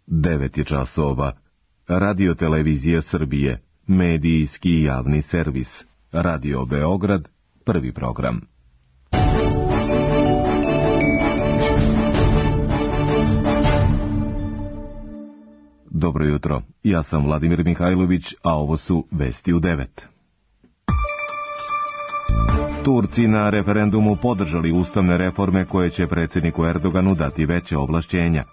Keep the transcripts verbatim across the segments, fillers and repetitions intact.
devet je časova. Radio Televizija Srbije, medijski javni servis. Radio Beograd, prvi program. Dobro jutro, ja sam Vladimir Mihajlović, a ovo su Vesti u devet. Turci na referendumu podržali ustavne reforme koje će predsjedniku Erdoganu dati veće ovlašćenja.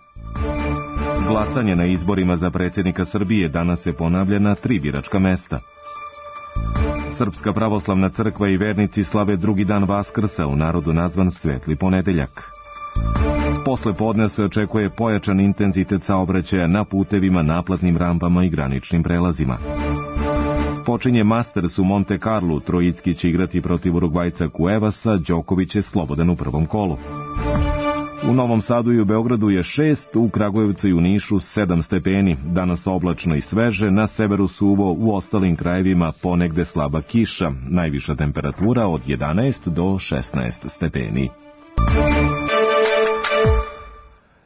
Glasanje na izborima za predsjednika Srbije danas se ponavlja na tri biračka mesta. Srpska pravoslavna crkva i vernici slave drugi dan Vaskrsa, u narodu nazvan Svetli ponedeljak. Posle podne se očekuje pojačan intenzitet saobraćaja na putevima, naplatnim rampama i graničnim prelazima. Počinje Masters u Monte Carlu, Trojicki će igrati protiv Urugvajca Cuevasa, Đoković je slobodan u prvom kolu. U Novom Sadu i u Beogradu je šest, u Kragujevcu i u Nišu sedam stepeni, danas oblačno i sveže, na severu suvo, u ostalim krajevima ponegde slaba kiša, najviša temperatura od jedanaest do šesnaest stepeni.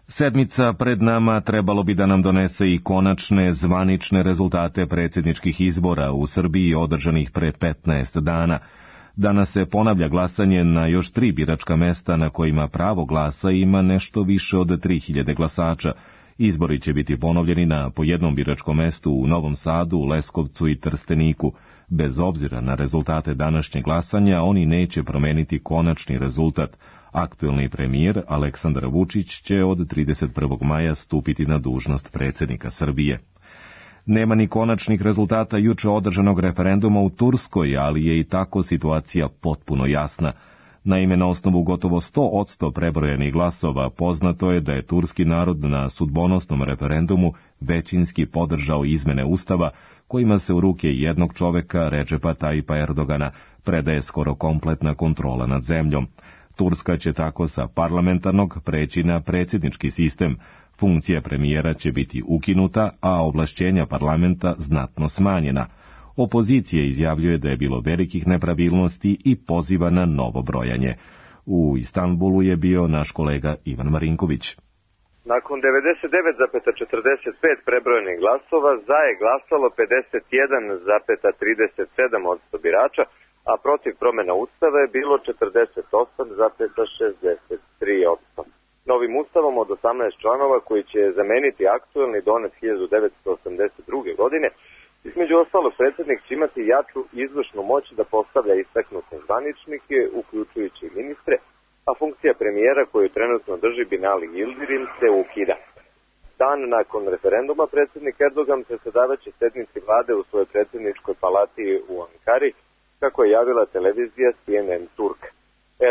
Sedmica pred nama trebalo bi da nam donese i konačne zvanične rezultate predsjedničkih izbora u Srbiji održanih pre petnaest dana. Danas se ponavlja glasanje na još tri biračka mesta na kojima pravo glasa ima nešto više od tri hiljade glasača. Izbori će biti ponovljeni na po jednom biračkom mestu u Novom Sadu, Leskovcu i Trsteniku. Bez obzira na rezultate današnjeg glasanja, oni neće promeniti konačni rezultat. Aktuelni premijer Aleksandar Vučić će od trideset prvog maja stupiti na dužnost predsjednika Srbije. Nema ni konačnih rezultata juče održanog referenduma u Turskoj, ali je i tako situacija potpuno jasna. Naime, na osnovu gotovo sto posto prebrojenih glasova poznato je da je turski narod na sudbonosnom referendumu većinski podržao izmene ustava kojima se u ruke jednog čoveka, Redžepa Tajipa Erdogana, predaje skoro kompletna kontrola nad zemljom. Turska će tako sa parlamentarnog preći na predsjednički sistem. Funkcija premijera će biti ukinuta, a ovlašćenja parlamenta znatno smanjena. Opozicija izjavljuje da je bilo velikih nepravilnosti i poziva na novo brojanje. U Istanbulu je bio naš kolega Ivan Marinković. Nakon devedeset devet zarez četrdeset pet prebrojenih glasova, za je glasalo pedeset jedan zarez trideset sedam posto birača, a protiv promjena ustava je bilo četrdeset osam zarez šezdeset tri posto. Novim ustavom od osamnaest članova koji će zameniti aktuelni donet hiljadu devetsto osamdeset druge. godine, između ostalog predsjednik će imati jaču izvršnu moć da postavlja istaknute zvaničnike, uključujući ministre, a funkcija premijera koju trenutno drži Binali Yildirim se ukida. Dan nakon referenduma predsjednik Erdogan predsjedavaće sednici vlade u svojoj predsjedničkoj palati u Ankari, kako je javila televizija C N N Turk.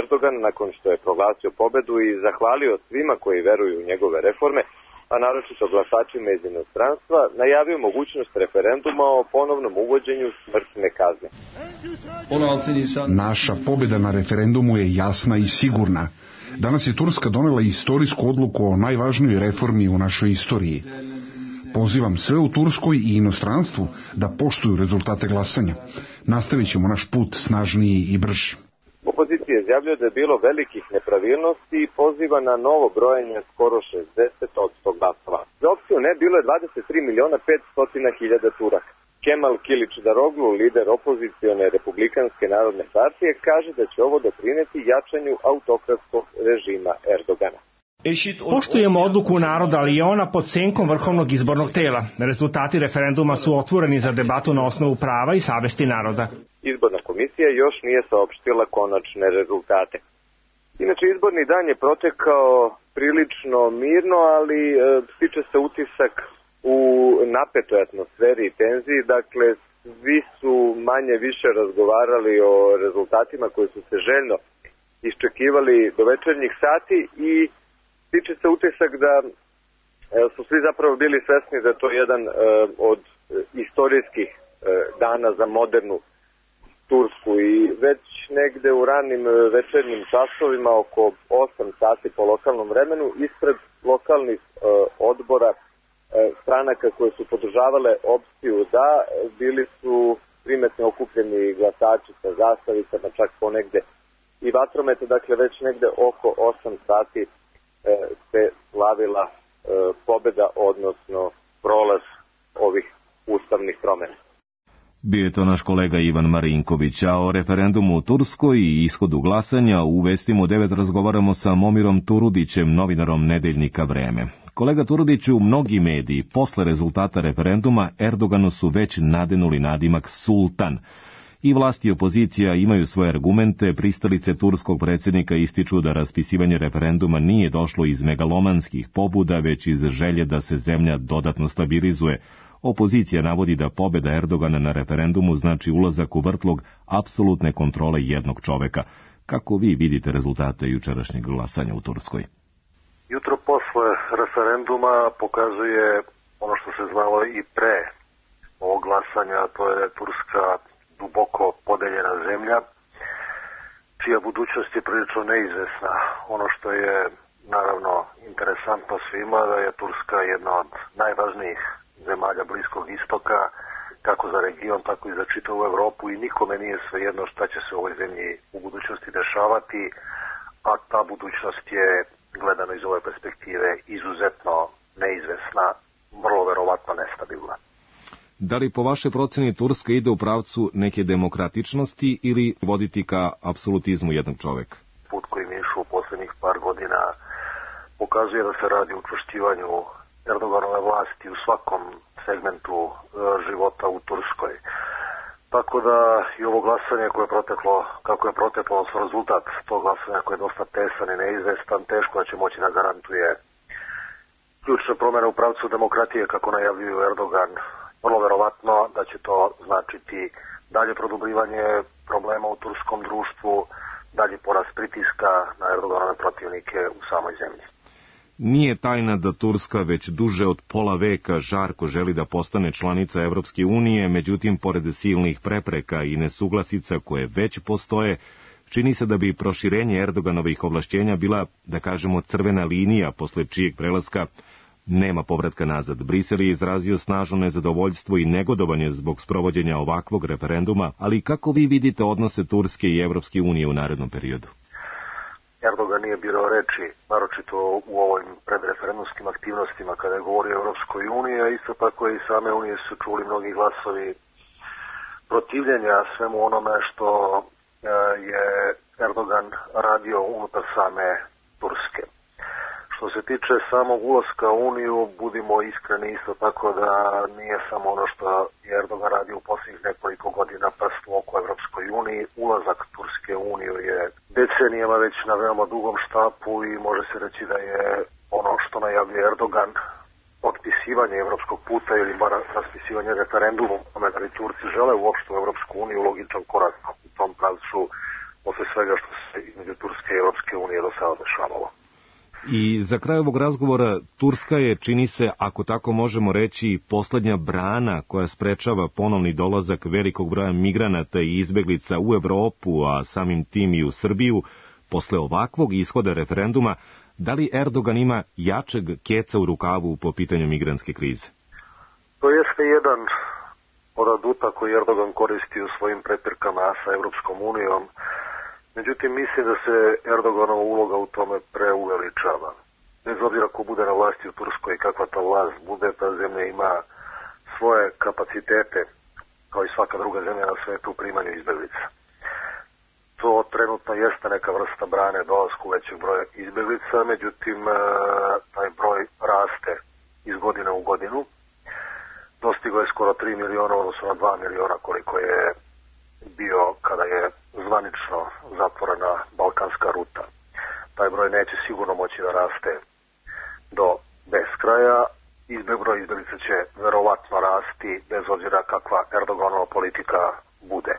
Erdogan, nakon što je proglasio pobedu i zahvalio svima koji veruju u njegove reforme, a naročito glasačima iz inostranstva, najavio mogućnost referenduma o ponovnom uvođenju smrtne kazne. Naša pobjeda na referendumu je jasna i sigurna. Danas je Turska donela istorijsku odluku o najvažnijoj reformi u našoj istoriji. Pozivam sve u Turskoj i inostranstvu da poštuju rezultate glasanja. Nastavit ćemo naš put snažniji i brži. Opozicija izjavljuje da je bilo velikih nepravilnosti i poziva na novo brojanje skoro šezdeset posto glasova. Za opciju ne bilo je dvadeset tri miliona petsto hiljada Turaka. Kemal Kilićdaroglu, lider opozicione Republikanske narodne partije, kaže da će ovo doprineti jačanju autokratskog režima Erdogana. Poštujemo odluku naroda, ali je ona pod senkom Vrhovnog izbornog tela. Rezultati referenduma su otvoreni za debatu na osnovu prava i savesti naroda. Izborna komisija još nije saopštila konačne rezultate. Inače, izborni dan je protekao prilično mirno, ali e, stiče se utisak u napetoj atmosferi i tenziji. Dakle, svi su manje više razgovarali o rezultatima koji su se željno iščekivali do večernjih sati i stiče se utisak da e, su svi zapravo bili svesni da je to jedan e, od istorijskih e, dana za modernu Tursku i već negde u ranim večernjim časovima oko osam sati po lokalnom vremenu ispred lokalnih e, odbora e, stranaka koje su podržavale opciju da, bili su primetno okupljeni glasači sa zastavicama, čak ponegde i vatromete, dakle već negde oko osam sati e, se slavila pobjeda, odnosno prolaz ovih ustavnih promjena. Bio je to naš kolega Ivan Marinković, a o referendumu u Turskoj i ishodu glasanja u Vestima u devet razgovaramo sa Momirom Turudićem, novinarom nedeljnika Vreme. Kolega Turudiću, mnogi mediji posle rezultata referenduma Erdoganu su već nadenuli nadimak Sultan. I vlast i opozicija imaju svoje argumente, pristalice turskog predsjednika ističu da raspisivanje referenduma nije došlo iz megalomanskih pobuda, već iz želje da se zemlja dodatno stabilizuje. Opozicija navodi da pobjeda Erdogana na referendumu znači ulazak u vrtlog apsolutne kontrole jednog čoveka. Kako vi vidite rezultate jučerašnjeg glasanja u Turskoj? Jutro posle referenduma pokazuje ono što se znalo i pre ovog glasanja, to je da je Turska duboko podeljena zemlja, čija budućnost je prilično neizvesna. Ono što je naravno interesantno svima da je Turska jedna od najvažnijih zemalja Bliskog istoka, kako za region, tako i za čitavu Evropu, i nikome nije svejedno šta će se u ovoj zemlji u budućnosti dešavati, a ta budućnost je, gledano iz ove perspektive, izuzetno neizvesna, vrlo verovatno nestabilna. Da li po vašoj proceni Turska ide u pravcu neke demokratičnosti ili voditi ka apsolutizmu jednog čoveka? Put koji mi je išao u posljednjih par godina pokazuje da se radi o učvršćivanju Erdoganove vlasti u svakom segmentu e, života u Turskoj. Tako da i ovo glasanje koje je proteklo, kako je proteklo, odnosno rezultat tog glasanja koje je dosta tesan i neizvestan, teško da će moći da garantuje ključne promjene u pravcu demokratije, kako najavljuju Erdogan. Vrlo verovatno da će to značiti dalje produbljivanje problema u turskom društvu, dalje porast pritiska na Erdoganove protivnike u samoj zemlji. Nije tajna da Turska već duže od pola veka žarko želi da postane članica Evropske unije, međutim, pored silnih prepreka i nesuglasica koje već postoje, čini se da bi proširenje Erdoganovih ovlašćenja bila, da kažemo, crvena linija posle čijeg prelaska nema povratka nazad. Brisel je izrazio snažno nezadovoljstvo i negodovanje zbog sprovođenja ovakvog referenduma, ali kako vi vidite odnose Turske i Evropske unije u narednom periodu? Erdogan nije birao reči, naročito u ovim predreferendumskim aktivnostima kada je govorio o Evropskoj uniji, a isto tako i same unije su čuli mnogi glasovi protivljenja svemu onome što je Erdogan radio unutar same Turske. Što se tiče samog ulaska u Uniju, budimo iskreni isto tako da nije samo ono što je Erdogan radio u posljednjih nekoliko godina prst u oko Evropskoj uniji. Ulazak Turske u Uniju je decenijama već na veoma dugom štapu i može se reći da je ono što najavljuje Erdogan potpisivanje evropskog puta ili bar raspisivanje referendumom, kome da li Turci žele uopšte u Evropsku uniju, logičan korak u tom pravcu posle svega što se između Turske i Evropske unije do sada dešavalo. I za kraj ovog razgovora, Turska je, čini se, ako tako možemo reći, poslednja brana koja sprečava ponovni dolazak velikog broja migranata i izbeglica u Evropu, a samim tim i u Srbiju. Posle ovakvog ishoda referenduma, da li Erdogan ima jačeg keca u rukavu po pitanju migrantske krize? To jeste jedan od aduta koji Erdogan koristi u svojim prepirkama sa Evropskom unijom. Međutim, mislim da se Erdoganova uloga u tome preuveličava. Bez obzira ko bude na vlasti u Turskoj i kakva ta vlast bude, ta zemlja ima svoje kapacitete, kao i svaka druga zemlja na svetu, u primanju izbeglica. To trenutno jeste neka vrsta brane dolasku većeg broja izbeglica, međutim, taj broj raste iz godine u godinu. Dostigo je skoro tri miliona, odnosno na dva miliona koliko je bio kada je zvanično zatvorena balkanska ruta. Taj broj neće sigurno moći da raste do beskraja. Izbe broj izbeglica će verovatno rasti bez obzira kakva Erdoganova politika bude.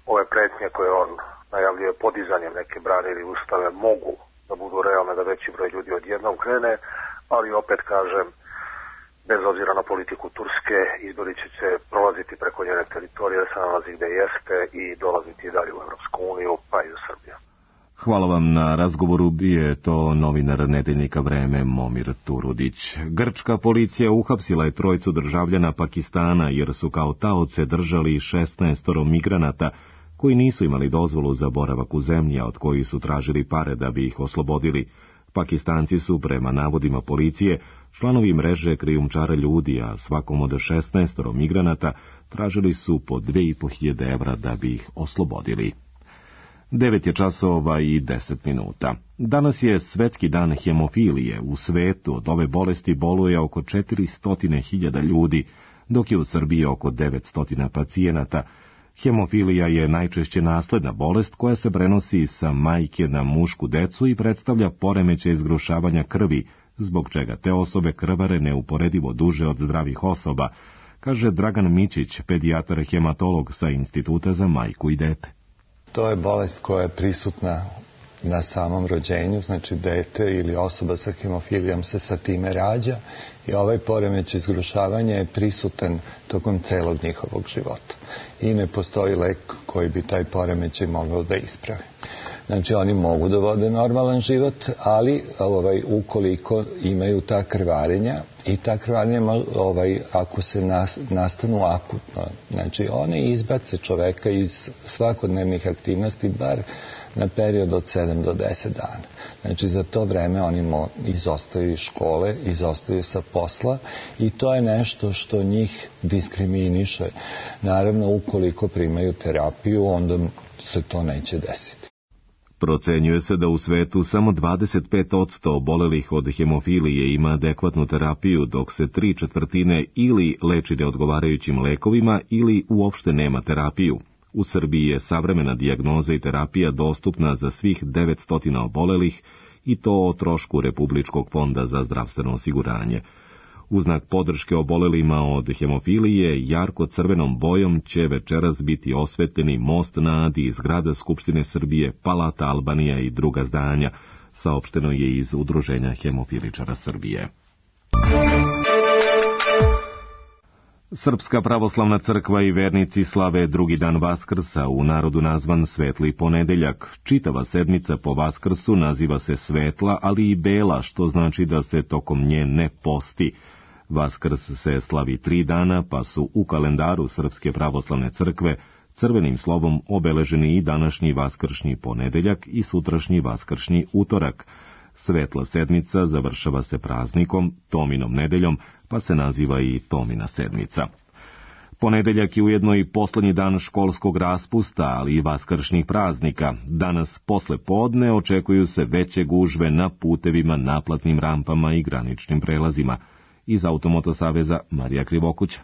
Ove pretnje koje on najavljuje podizanjem neke brane ili ustave mogu da budu realne, da veći broj ljudi odjednom krene, ali opet kažem, bez obzira na politiku Turske, izbeglice će prolaziti preko njene teritorije, da se nalazi gde jeste i dolaziti dalje u Evropsku uniju, pa i u Srbiju. Hvala vam na razgovoru, bio je to novinar nedeljnika Vreme Momir Turudić. Grčka policija uhapsila je trojicu državljana Pakistana jer su kao taoce držali šesnaestoro migranata koji nisu imali dozvolu za boravak u zemlji, a od kojih su tražili pare da bi ih oslobodili. Pakistanci su, prema navodima policije, članovi mreže krijumčara ljudi, a svakom od šesnaest migranata tražili su po dve i po hiljade evra da bi ih oslobodili. Devet je časova i deset minuta. Danas je Svetski dan hemofilije. U svetu od ove bolesti boluje oko četiristo hiljada ljudi, dok je u Srbiji oko devetsto pacijenata. Hemofilija je najčešće nasledna bolest koja se prenosi sa majke na mušku decu i predstavlja poremećaj zgrušavanja krvi, zbog čega te osobe krvare neuporedivo duže od zdravih osoba, kaže Dragan Mićić, pedijatar hematolog sa Instituta za majku i dete. To je bolest koja je prisutna na samom rođenju, znači dete ili osoba sa hemofilijom se sa time rađa i ovaj poremećaj zgrušavanja je prisutan tokom celog njihovog života. I ne postoji lek koji bi taj poremećaj mogao da ispravi. Znači oni mogu da vode normalan život, ali ovaj, ukoliko imaju ta krvarenja i ta krvarenja ovaj, ako se nas, nastanu akutno, znači one izbace čoveka iz svakodnevnih aktivnosti bar na period od sedam do deset dana. Znači za to vreme oni mo, izostaju iz škole, izostaju sa posla i to je nešto što njih diskriminiše. Naravno, ukoliko primaju terapiju, onda se to neće desiti. Procenjuje se da u svetu samo dvadeset pet posto obolelih od hemofilije ima adekvatnu terapiju, dok se tri četvrtine ili leči neodgovarajućim lekovima ili uopšte nema terapiju. U Srbiji je savremena dijagnoza i terapija dostupna za svih devetsto obolelih i to o trošku Republičkog fonda za zdravstveno osiguranje. U znak podrške obolelima od hemofilije, jarko crvenom bojom će večeras biti osvetljeni most na Adi, zgrada Skupštine Srbije, Palata Albanija i druga zdanja, saopšteno je iz Udruženja hemofiličara Srbije. Srpska pravoslavna crkva i vernici slave drugi dan Vaskrsa, u narodu nazvan Svetli ponedeljak. Čitava sedmica po Vaskrsu naziva se svetla, ali i bela, što znači da se tokom nje ne posti. Vaskrs se slavi tri dana, pa su u kalendaru Srpske pravoslavne crkve crvenim slovom obeleženi i današnji vaskršnji ponedeljak i sutrašnji vaskršnji utorak. Svetla sedmica završava se praznikom, Tominom nedeljom, pa se naziva i Tomina sedmica. Ponedeljak je ujedno i poslednji dan školskog raspusta, ali i vaskršnjih praznika. Danas posle podne očekuju se veće gužve na putevima, naplatnim rampama i graničnim prelazima. Iz Automoto saveza Marija Krivokuća.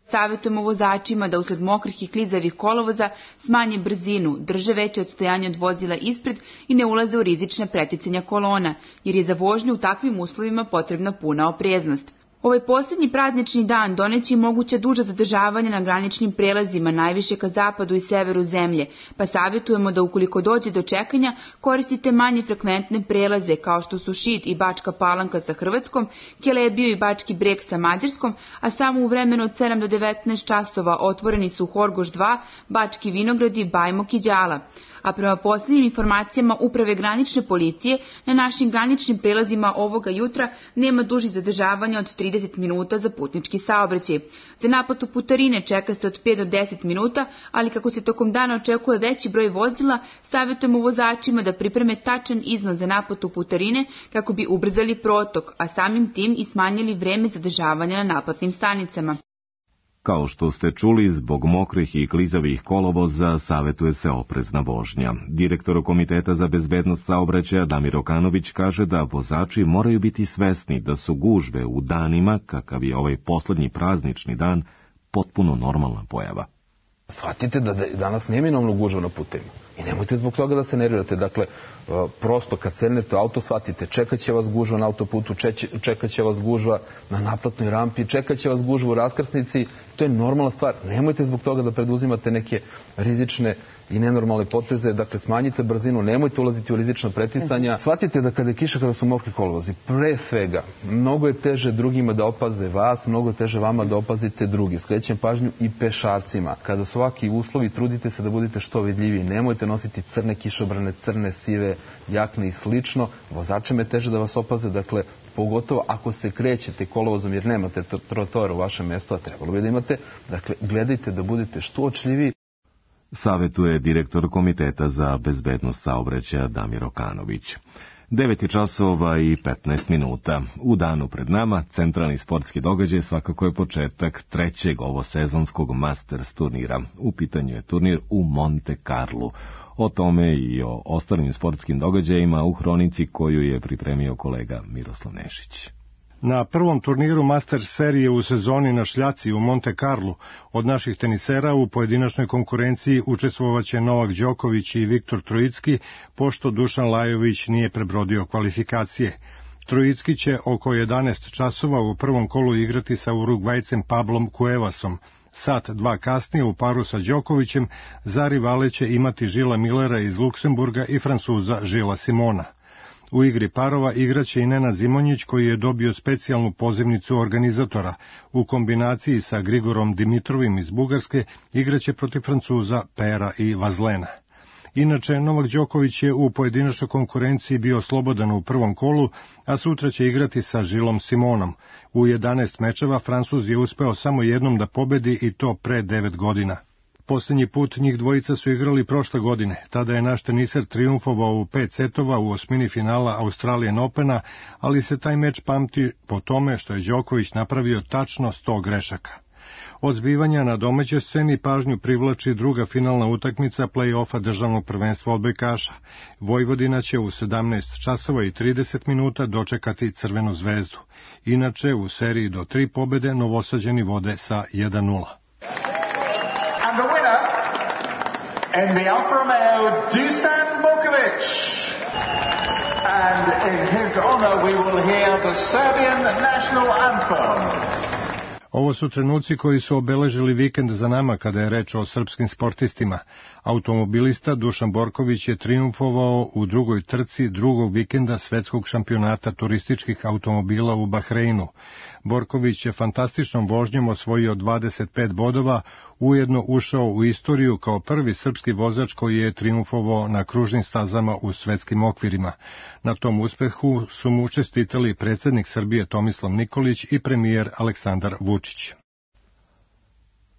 Savjetujemo vozačima da usled mokrih i klizavih kolovoza smanje brzinu, drže veće odstojanje od vozila ispred i ne ulaze u rizične preticanja kolona, jer je za vožnju u takvim uslovima potrebna puna opreznost. Ovaj posljednji praznični dan doneće i moguća duža zadržavanja na graničnim prelazima, najviše ka zapadu i severu zemlje, pa savjetujemo da ukoliko dođe do čekanja koristite manje frekventne prelaze kao što su Šid i Bačka Palanka sa Hrvatskom, Kelebiju i Bački Breg sa Mađarskom, a samo u vremenu od sedam do devetnaest časova otvoreni su Horgoš dva, Bački Vinogradi, Bajmok i Đala. A prema posljednjim informacijama Uprave granične policije, na našim graničnim prelazima ovoga jutra nema dužih zadržavanja od trideset minuta za putnički saobraćaj. Za naplatu putarine čeka se od pet do deset minuta, ali kako se tokom dana očekuje veći broj vozila, savjetujemo vozačima da pripreme tačan iznos za naplatu putarine kako bi ubrzali protok, a samim tim i smanjili vreme zadržavanja na naplatnim stanicama. Kao što ste čuli, zbog mokrih i klizavih kolovoza savjetuje se oprezna vožnja. Direktor Komiteta za bezbednost saobraćaja Damir Okanović kaže da vozači moraju biti svesni da su gužve u danima, kakav je ovaj poslednji praznični dan, potpuno normalna pojava. Shvatite da danas neminovno gužva na putevima i nemojte zbog toga da se nervirate. Dakle, prosto kad sednete u auto, shvatite, čekat će vas gužva na autoputu, čekat će vas gužva na naplatnoj rampi, čekat će vas gužva u raskrsnici. To je normalna stvar. Nemojte zbog toga da preduzimate neke rizične i nenormalne poteze. Dakle, smanjite brzinu, nemojte ulaziti u rizična preticanja. Shvatite da kada je kiša, kada su mokri kolovozi, pre svega, mnogo je teže drugima da opaze vas, mnogo je teže vama da opazite drugi. Skrećem pažnju i pešacima. Kada su ovakvi uslovi, trudite se da budete što vidljiviji. Nemojte nositi crne kišobrane, crne, sive jakne i slično. Vozačima je teže da vas opaze, dakle, pogotovo ako se krećete kolovozom jer nemate trotoar u vašem mjestu, a trebalo bi da imate. Dakle, gledajte da budete što očljiviji. Savjetuje direktor Komiteta za bezbednost saobraćaja Damir Okanović. devet časova i petnaest minuta. U danu pred nama centralni sportski događaj svakako je početak trećeg ovosezonskog Masters turnira. U pitanju je turnir u Monte Carlu. O tome i o ostalim sportskim događajima u hronici koju je pripremio kolega Miroslav Nešić. Na prvom turniru Masters serije u sezoni na šljaci u Monte Carlu od naših tenisera u pojedinačnoj konkurenciji učestvovaće Novak Đoković i Viktor Trojicki, pošto Dušan Lajović nije prebrodio kvalifikacije. Trojicki će oko jedanaest časova u prvom kolu igrati sa Urugvajcem Pablom Cuevasom. Sat dva kasnije u paru sa Đokovićem za rivale će imati Žila Millera iz Luksemburga i Francuza Žila Simona. U igri parova igraće i Nenad Zimonjić koji je dobio specijalnu pozivnicu organizatora. U kombinaciji sa Grigorom Dimitrovim iz Bugarske igraće protiv Francuza Pera i Vazlena. Inače, Novak Đoković je u pojedinačnoj konkurenciji bio slobodan u prvom kolu, a sutra će igrati sa Žilom Simonom. U jedanaest mečeva Francuz je uspeo samo jednom da pobedi i to pre devet godina. Posljednji put njih dvojica su igrali prošle godine. Tada je naš teniser trijumfovao u pet setova u osmini finala Australian Opena, ali se taj meč pamti po tome što je Đoković napravio tačno sto grešaka. Od zbivanja na domaćoj sceni pažnju privlači druga finalna utakmica play-offa državnog prvenstva odbojkaša. Vojvodina će u sedamnaest časova i trideset minuta dočekati Crvenu zvezdu. Inače, u seriji do tri pobede Novosađani vode sa jedan nula. And the winner in the Alfa Romeo, Dusan Borkovic. And in his honor we will hear the Serbian national anthem. Ovo su trenuci koji su obeležili vikend za nama kada je reč o srpskim sportistima. Automobilista Dušan Borković je trijumfovao u drugoj trci drugog vikenda svetskog šampionata turističkih automobila u Bahreinu. Borković je fantastičnom vožnjom osvojio dvadeset pet bodova, ujedno ušao u istoriju kao prvi srpski vozač koji je trijumfovao na kružnim stazama u svetskim okvirima. Na tom uspehu su mu čestitali predsjednik Srbije Tomislav Nikolić i premijer Aleksandar Vučić.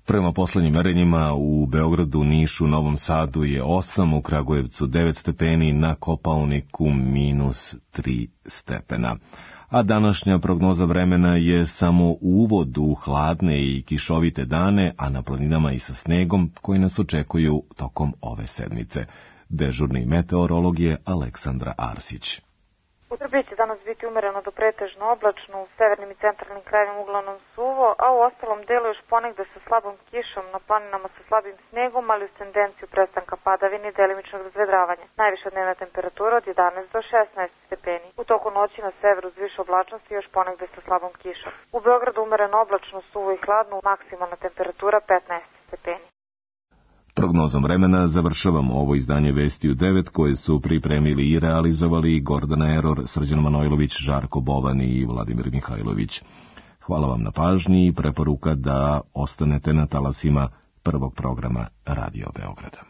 Prema poslednjim merenjima u Beogradu, Nišu, Novom Sadu je osam, u Kragujevcu devet stepeni, na Kopaoniku minus tri stepena. A današnja prognoza vremena je samo uvod u hladne i kišovite dane, a na planinama i sa snegom koji nas očekuju tokom ove sedmice. Dežurni meteorolog je Aleksandra Arsić. U Srbiji će danas biti umereno do pretežno oblačno, u severnim i centralnim krajevima uglavnom suvo, a u ostalom delu još ponegde sa slabom kišom, na planinama sa slabim snegom, ali uz tendenciju prestanka padavine i delimičnog razvedravanja. Najviša dnevna temperatura od jedanaest do šesnaest stepeni. U toku noći na severu uz više oblačnosti još ponegde sa slabom kišom. U Beogradu umereno oblačno, suvo i hladno, maksimalna temperatura petnaest stepeni. Prognozom vremena završavamo ovo izdanje Vesti u devet koje su pripremili i realizovali Gordana Eror, Srđan Manojlović, Žarko Bovan i Vladimir Mihajlović. Hvala vam na pažnji i preporuka da ostanete na talasima prvog programa Radio Beograda.